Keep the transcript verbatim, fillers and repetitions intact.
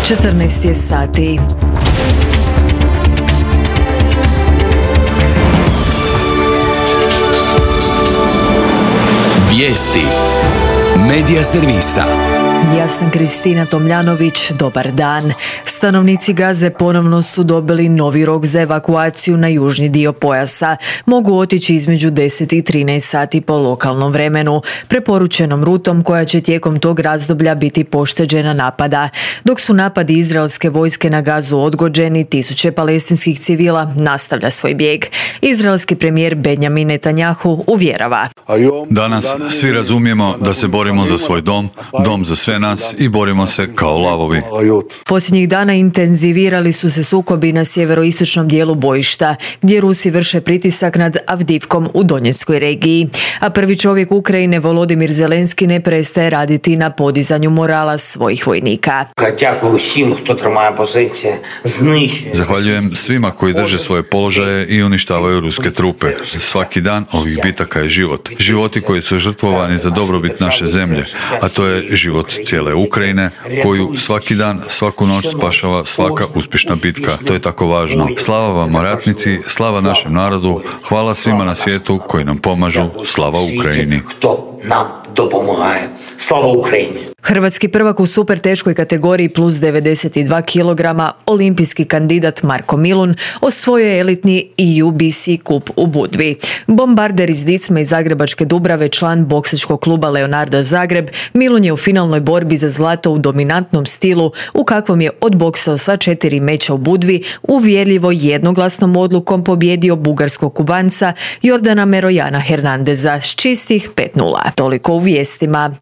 četrnaest je sati. Vijesti Medija servisa. Ja sam Kristina Tomljanović, dobar dan. Stanovnici Gaze ponovno su dobili novi rok za evakuaciju na južni dio pojasa. Mogu otići između deset i trinaest sati po lokalnom vremenu, preporučenom rutom koja će tijekom tog razdoblja biti pošteđena napada. Dok su napadi izraelske vojske na Gazu odgođeni, tisuće palestinskih civila nastavlja svoj bijeg. Izraelski premijer Benjamin Netanjahu uvjerava: Danas svi razumijemo da se borimo za svoj dom, dom za sve nas i borimo se kao lavovi. Posljednjih dana intenzivirali su se sukobi na sjeveroistočnom dijelu bojišta, gdje Rusi vrše pritisak nad Avdivkom u Donjeckoj regiji. A prvi čovjek Ukrajine, Volodimir Zelenski, ne prestaje raditi na podizanju morala svojih vojnika. Zahvaljujem svima koji drže svoje položaje i uništavaju ruske trupe. Svaki dan ovih bitaka je život. Životi koji su žrtvovani za dobrobit naše zemlje, a to je život cijele Ukrajine, koju svaki dan, svaku noć spašava svaka uspješna bitka. To je tako važno. Slava vam, ratnici, slava našem narodu, hvala svima na svijetu koji nam pomažu, slava Ukrajini. Slava Ukrajini. Hrvatski prvak u super teškoj kategoriji plus devedeset dva kilograma, olimpijski kandidat Marko Milun, osvojio je elitni E U B C kup u Budvi. Bombarder iz Dicma i Zagrebačke Dubrave, član boksačkog kluba Leonarda Zagreb, Milun je u finalnoj borbi za zlato u dominantnom stilu, u kakvom je odboksao sva četiri meča u Budvi, uvjerljivo jednoglasnom odlukom pobjedio bugarskog Kubanca Jordana Merojana Hernandeza s čistih pet nula. Toliko u vijestima.